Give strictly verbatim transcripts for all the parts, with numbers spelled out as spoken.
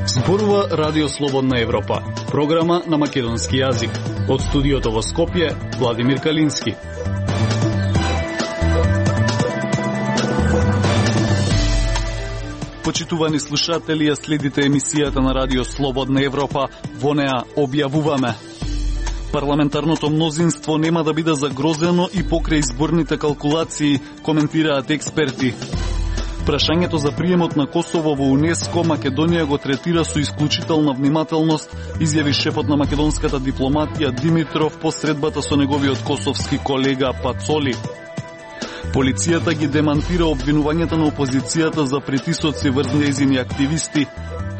Зборува Радио Слободна Европа, програма на македонски јазик. Од студиото во Скопје, Владимир Калински. Почитувани слушатели, ја следите емисијата на Радио Слободна Европа. Во неа објавуваме: парламентарното мнозинство нема да биде загрозено и покрај изборните калкулации, коментираат експерти. Прашањето за приемот на Косово во УНЕСКО Македонија го третира со исклучителна внимателност, изјави шефот на македонската дипломатија Димитров по средбата со неговиот косовски колега Пацоли. Полицијата ги демантира обвинувањата на опозицијата за притисоци врз нејзини активисти.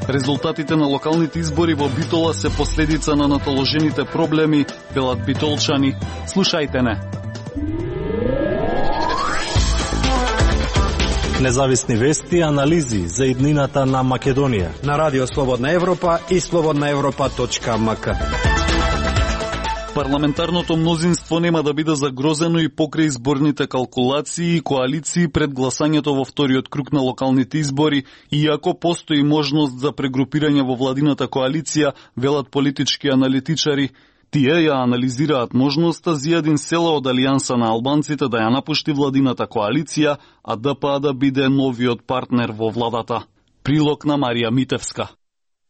Резултатите на локалните избори во Битола се последица на натоложените проблеми, велат битолчани. Слушајте не. Независни вести и анализи за иднината на Македонија на Радио Слободна Европа и слободна европа точка ем ка. Парламентарното мнозинство нема да биде загрозено и покрај изборните калкулации и коалиции пред гласањето во вториот круг на локалните избори, иако постои можност за прегрупирање во владината коалиција, велат политички аналитичари. Тие ја анализираат можноста Зијадин Села од Алијанса на албанците да ја напушти владината коалиција, а ДПА да биде новиот партнер во владата. Прилог на Марија Митевска.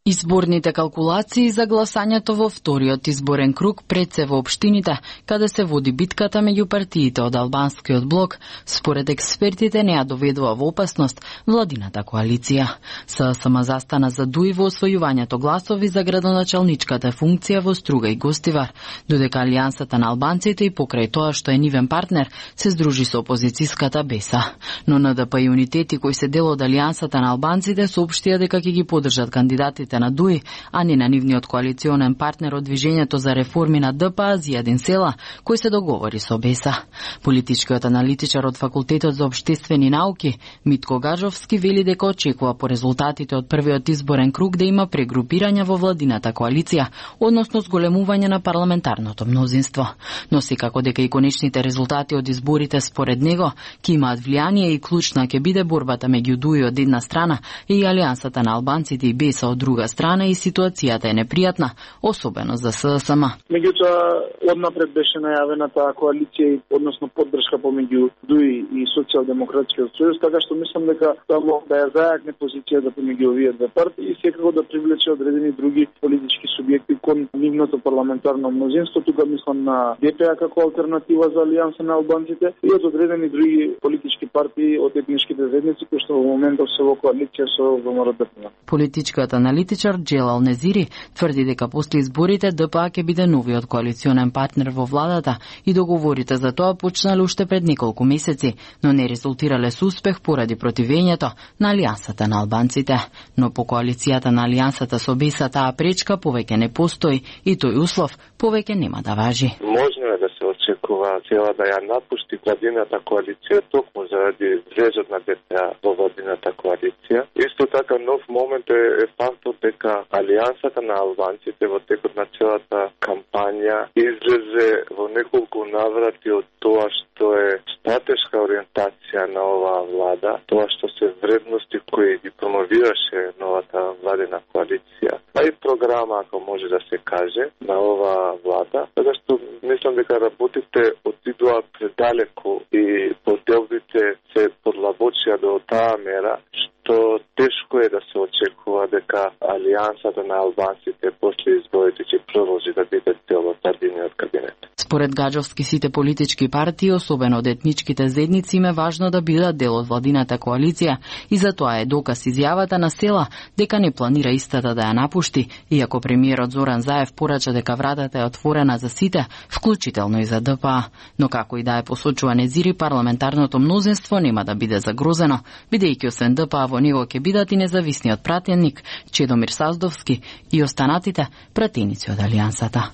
Изборните калкулации за гласањето во вториот изборен круг пред се во општините, каде се води битката меѓу партиите од албанскиот блок, според експертите не ја доведува во опасност владината коалиција. ССМ застана за дуи во освојувањето гласови за градоначалничката функција во Струга и Гостивар, додека Алијансата на албанците и покрај тоа што е нивен партнер се здружи со опозицијската Беса. Но НДП и унитети кои се дел од Алијансата на албанците соопштија дека ќе ги поддржат кандидатите на ДУИ, а не на нивниот коалиционен партнер од Движењето за реформи на ДПА Зијадин Села, кој се договори со Беса. Политичкиот аналитичар од Факултетот за општествени науки Митко Гажовски вели дека очекува по резултатите од првиот изборен круг да има прегрупирање во владината коалиција, односно зголемување на парламентарното мнозинство. Но секако дека и конечните резултати од изборите според него ќе имаат влијание и клучна ќе биде борбата меѓу ДУИ од една страна и Алијансата на албанците и Беса од друга страна, и ситуацијата е непријатна, особено за ССМ. Меѓутоа, однапред беше најавена таа коалиција, односно поддршка помеѓу ДУИ и Социјалдемократскиот сојуз, така што мислам дека само да ја зајакне позицијата помеѓу овие две партии и секако да привлече одредени други политички субјекти кон нивното парламентарно мнозинство. Тука мислам на ДПА како алтернатива за Алијанса на албанците и од одредени други политички партии од етничките заедници кои што во моментов се во коалиција со ВМРО ДПМН. Политичкиот аналитичар Джелал Незири тврди дека после изборите ДПА ќе биде новиот коалиционен партнер во владата и договорите за тоа почнале уште пред неколку месеци, но не резултирале со успех поради противењето на Алијансата на албанците. Но по коалицијата на Алијансата со Беса таа пречка повеќе не постои и тој услов повеќе нема да важи. Можно е да се очекува Села да ја напушти владината коалиција токму заради влезот на ДПА во владината коалиција. Исто така нов момент е, е фактот дека Алијансата на албанците во текот на целата кампања излезе во неколку наврати од тоа што е стратешка ориентација на оваа влада, тоа што се вредности кои ги промовираше новата владина коалиција, а и програма, ако може да се каже, на оваа влада, така што мислам дека работите отидоа предалеку и поделбите се подлабочија до таа мера, што тешко е да се очекува дека Алијансата на албанците после изборите ќе продолжи да биде дел од владиниот кабинет. Според Гаджовски, сите политички партии, особено од етничките заедници, им е важно да бидат дел од владината коалиција и затоа е доказ изјавата на Села дека не планира истата да ја напушти, иако премиерот Зоран Заев порача дека вратата е отворена за сите, вклучително и за ДПА. Но како и да е посочува Незири, парламентарното мнозинство нема да биде загрозено, бидејќи освен ДПА во него ќе бидат и независниот пратеник Чедомир Саздовски и останатите пратеници од Алијансата.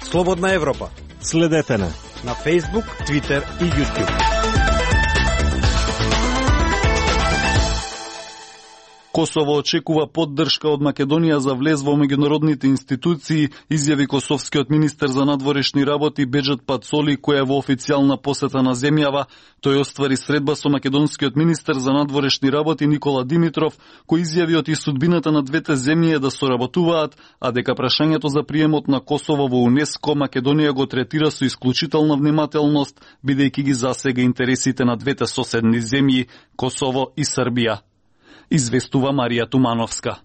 Слободна Европа. Следете на на Facebook, Twitter и YouTube. Косово очекува поддршка од Македонија за влез во меѓународните институции, изјави косовскиот министер за надворешни работи Беџет Пацоли, кој е во официјална посета на земјава. Тој оствари средба со македонскиот министер за надворешни работи Никола Димитров, кој изјави оти судбината на двете земји е да соработуваат, а дека прашањето за приемот на Косово во УНЕСКО Македонија го третира со исклучителна внимателност, бидејќи ги засега интересите на двете соседни земји, Косово и Србија. Известува Марија Тумановска.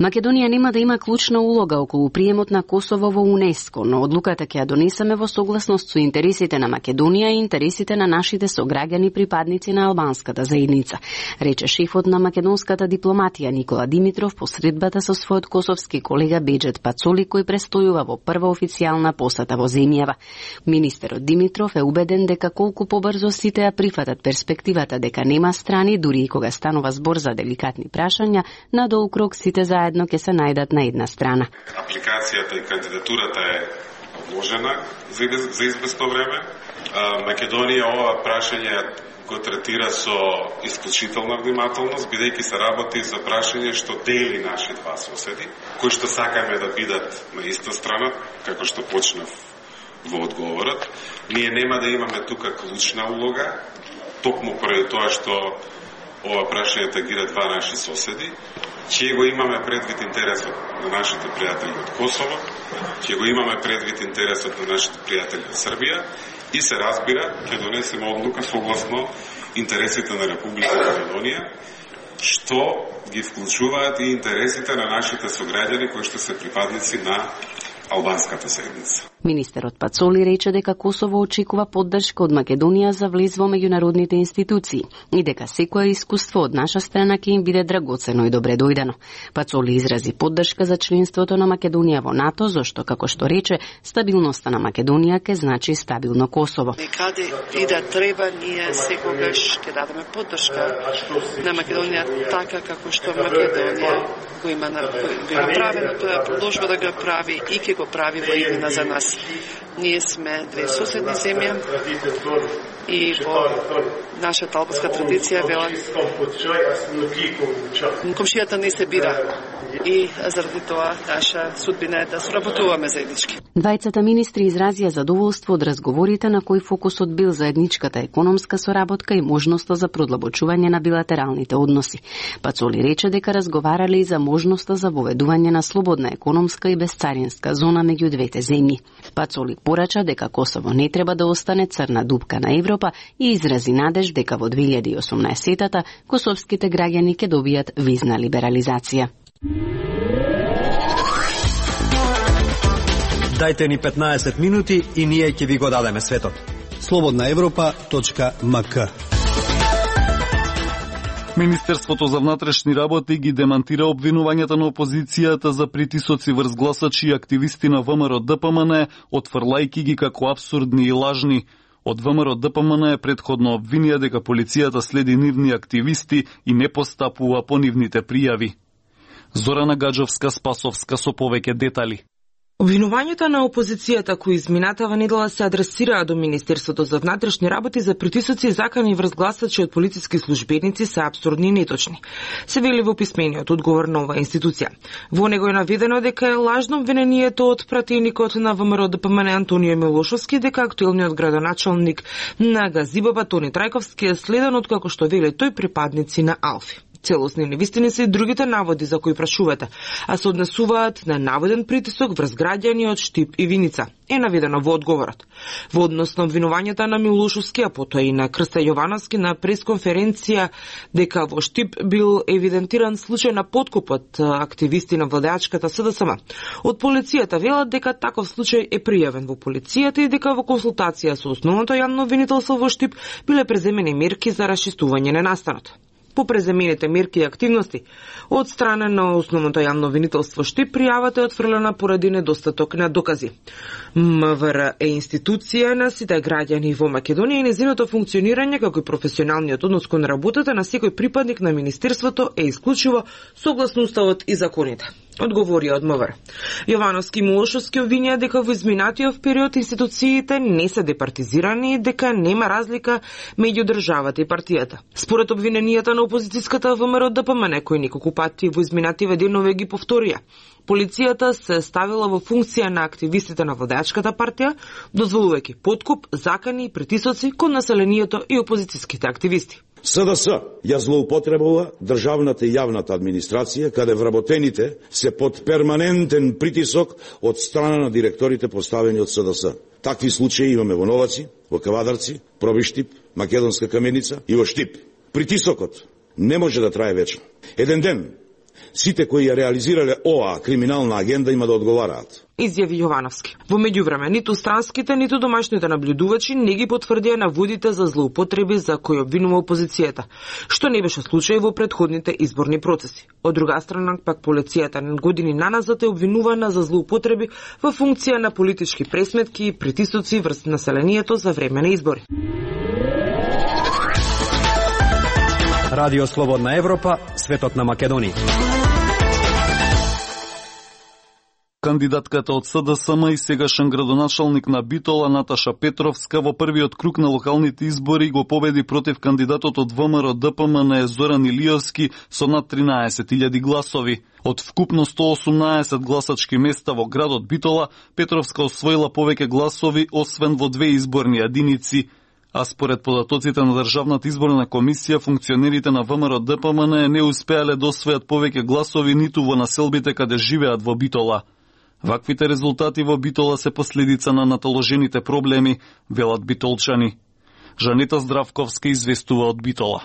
Македонија нема да има клучна улога околу приемот на Косово во УНЕСКО, но одлуката ќе ја донесеме во согласност со интересите на Македонија и интересите на нашите сограѓани припадници на албанската заедница, рече шефот на македонската дипломатија Никола Димитров по средбата со својот косовски колега Беџет Пацоли, кој престојува во прва официјална посета во земјава. Министерот Димитров е убеден дека колку побрзо сите ја прифатат перспективата дека нема страни, дури и кога станува збор за деликатни прашања, надолу круг сите за заедно ќе се најдат на една страна. Апликацијата и кандидатурата е одложена за, за известно време. Македонија ова прашање го третира со исклучителна внимателност, бидејќи се работи за прашање што дели наши два соседи, кои што сакаме да бидат на иста страна, како што почнав во одговорот. Ние нема да имаме тука клучна улога, токму поради тоа што ова прашање тагира два наши соседи, ќе го имаме предвид интересот на нашите пријатели од Косово, ќе го имаме предвид интересот на нашите пријатели од Србија и се разбира, ќе донесеме одлука согласно интересите на Република Македонија, што ги вклучуваат и интересите на нашите сограѓани кои што се припадници на албанската заедница. Министерот Пацоли рече дека Косово очекува поддршка од Македонија за влез во меѓународните институции и дека секое искуство од наша страна ќе им биде драгоцено и добре дојдено. Пацоли изрази поддршка за членството на Македонија во НАТО, зашто, како што рече, стабилноста на Македонија ќе значи стабилно Косово. Каде и да треба, ние секогаш ќе дадеме поддршка на Македонија така како што Македонија го има направено, тоа продолжува да го прави и ќе го прави во иднина за нас. Ние сме две соседни земји и во нашата албанска традиција вела комшијата не се бира и заради тоа наша судбина е да соработуваме заеднички. Двајцата министри изразија задоволство од разговорите на кои фокусот бил заедничката економска соработка и можноста за продлабочување на билатералните односи. Пацоли рече дека разговарале и за можноста за воведување на слободна економска и безцаринска зона меѓу двете земји. Пацоли порача дека Косово не треба да остане црна дупка на Европа и изрази надеж дека во две илјади и осумнаесетта косовските граѓани ќе добијат визна либерализација. Дајте ни петнаесет минути и ние ќе ви го дадеме светот. слободна европа точка ем ка. Министерството за внатрешни работи ги демантира обвинувањата на опозицијата за притисоци врз гласачи и активисти на ВМРО Д П М Н, отфрлајки ги како абсурдни и лажни. Од ВМРО Д П М Н е предходно обвинија дека полицијата следи нивни активисти и не постапува по нивните пријави. Зорана Гаджовска-Спасовска со повеќе детали. Обвинувањата на опозицијата кои изминатава недела се адресираа до Министерството за внатрешни работи за притисоци и закани врз гласачи од полициски службеници се апсурдни и неточни. Се вели во писмениот одговор на оваа институција. Во него е наведено дека е лажно обвинението од пратеникот на ВМРО Д П М Н Антонио Милошовски дека актуелниот градоначалник на Газибаба Тони Трајковски е следен од, како што вели тој, припадници на Алфи. Целосни невистини се и другите наводи за кои прашувате, а се однесуваат на наводен притисок врз граѓани од Штип и Виница, е наведено во одговорот. Во однос на обвинувањата на Милошовски, а потоа и на Крста Јовановски на пресконференција дека во Штип бил евидентиран случај на подкуп од активисти на владеачката С Д С М. Од полицијата велат дека таков случај е пријавен во полицијата и дека во консултација со основното јавно обвинителство во Штип биле преземени мерки за расчистување на настанот. По преземените мерки и активности од страна на основното јавно обвинителство Штип пријавата е отфрлена поради недостаток на докази. М В Р е институција на сите граѓани во Македонија и незиното функционирање како и професионалниот однос кон работата на секој припадник на министерството е исклучиво согласно уставот и законите. одговори од МВР. Јовановски и Милошовски обвинија дека во изминатиот период институциите не се департизирани и дека нема разлика меѓу државата и партијата. Според обвиненијата на опозицијската ВМРО Д П М Н, кои неколку пати во изминативе денове ги повторија, полицијата се ставила во функција на активистите на владеачката партија, дозволувајќи подкуп, закани и притисоци кон населението и опозицијските активисти. С Д С ја злоупотребува државната и јавната администрација, каде вработените се под перманентен притисок од страна на директорите поставени од С Д С. Такви случаи имаме во Новаци, во Кавадарци, Пробиштип, Македонска Каменица и во Штип. Притисокот не може да трае вечно. Еден ден сите кои ја реализирале оваа криминална агенда има да одговараат. Изјави Јовановски. Во меѓувреме, ниту странските, ниту домашните наблюдувачи не ги потврдија наводите за злоупотреби за кои обвинува опозицијата, што не беше случај во претходните изборни процеси. Од друга страна, пак полицијата години наназад е обвинувана за злоупотреби во функција на политички пресметки и притисоци врз населението за време на избори. Радио Слободна Европа, светот на Македонија. Кандидатката од С Д С М и сегашен градоначалник на Битола Наташа Петровска во првиот круг на локалните избори го победи против кандидатот од В М Р Д П М Н Зоран Илиевски со над тринаесет илјади гласови. Од вкупно сто осумнаесет гласачки места во градот Битола, Петровска освоила повеќе гласови освен во две изборни единици. А според податоците на Државната изборна комисија, функционерите на В М Р Д П М Н не успеале да освојат повеќе гласови ниту во населбите каде живеат во Битола. Ваквите резултати во Битола се последица на наталожените проблеми, велат битолчани. Жанета Здравковска известува од Битола.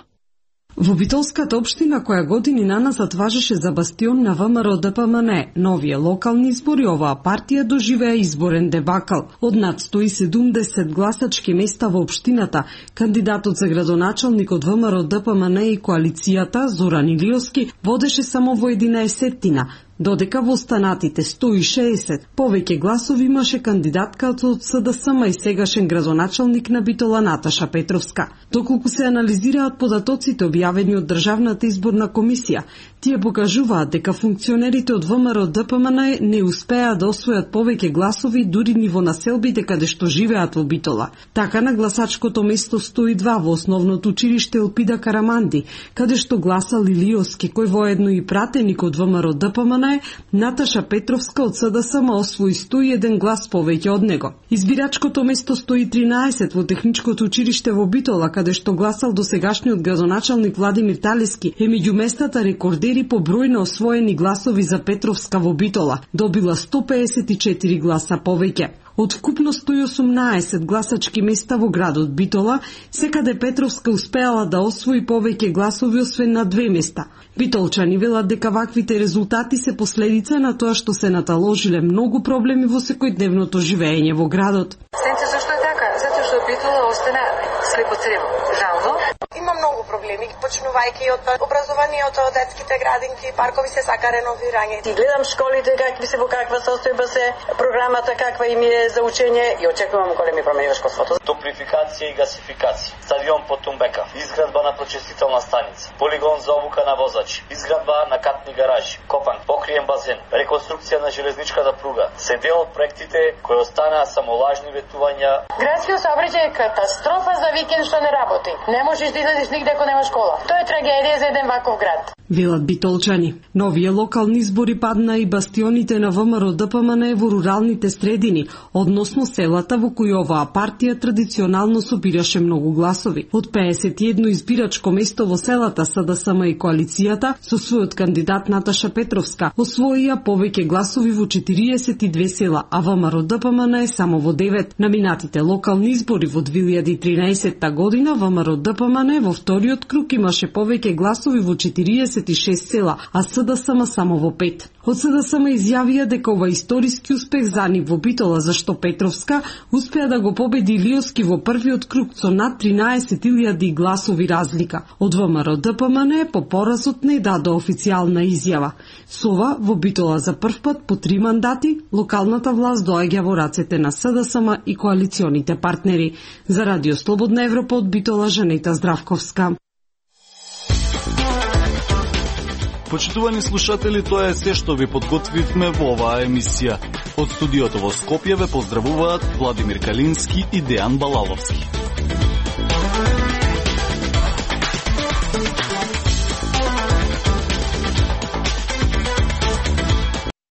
Во Битолската општина, која години наназад важеше за бастион на В М Р Д П М Н, новие локални избори, оваа партија доживеа изборен дебакал. Од над сто и седумдесет гласачки места во општината, кандидатот за градоначалник од В М Р Д П М Н и коалицијата Зоран Илиевски водеше само во единаесеттина, додека во останатите сто и шеесет повеќе гласови имаше кандидатката од С Д С М и сегашен градоначалник на Битола Наташа Петровска. Доколку се анализираат податоците објавени од Државната изборна комисија, тие покажуваат дека функционерите од В М Р Д П М Н не успеа да освојат повеќе гласови дури ни во населбите каде што живеат во Битола. Така на гласачкото место сто и два во основното училиште Елпида Караманди, каде што гласал Илиевски, кој воедно и пратеник од В М Р Д П М Н, Наташа Петровска од С Д С М освои сто и еден глас повеќе од него. Избирачкото место сто и тринаесет во Техничкото училиште во Битола, каде што гласал досегашниот градоначалник Владимир Талески, е меѓу местата рекордери по број на освоени гласови за Петровска во Битола, добила сто пеесет и четири гласа повеќе. Од вкупно сто и осумнаесет гласачки места во градот Битола, секаде Петровска успеала да освои повеќе гласови освен на две места. Битолчани велат дека ваквите резултати се последица на тоа што се наталожиле многу проблеми во секојдневното живење во градот. Знаете зашто е така? Затоа што Битола остана слепо црево. Жално. Има многу проблеми, почнувајќи од образованието, детските градинки, паркови се сака реновирање. Ти гледам школите какви се, во каква состојба се, програмата каква им е за учење и очекувам големи промени во школството. Топлификација и гасификација, стадион по Тумбека, изградба на прочистителна станица, полигон за обука на возачи, изградба на катни гаражи, копан, покриен базен, реконструкција на железничката пруга, се дел од проектите кои останаа само лажни ветувања. Градскиот сообраќај е катастрофа за викенд што не работи. Не можеш да излезеш нигде ако нема школа. Тоа е трагедија за еден ваков град. Велат битолчани. Новие локални избори падна и бастионите на В М Р Д П М Н во руралните средини, односно селата во кои оваа партија традиционално собираше многу гласови. Од пеесет и едно избирачко место во селата С Д С М и коалицијата, со својот кандидат Наташа Петровска, освоија повеќе гласови во четириесет и две села, а В М Р Д П М Н е само во девет. На минатите локални избори во две илјади и тринаесетта година В М Р Д П М Н во вториот круг имаше повеќе гласови во четириесет и шест села, а С Д С М само во пет. Од С Д С М изјавија дека ова историски успех за нив во Битола, зашто Петровска успеа да го победи Илиевски во првиот круг со над тринаесет илјади гласови разлика. Од В М Р Д П М Н по поразот не даде официјална изјава. Со ова во Битола за прв пат по три мандати локалната власт доаѓа во рацете на С Д С М и коалиционите партнери. За Радио Слободна Европа од Битола, Жанета Здравковска. Почитувани слушатели, тоа е се што ви подготвивме во оваа емисија. Од студиото во Скопје ве поздравуваат Владимир Калински и Дејан Балаловски.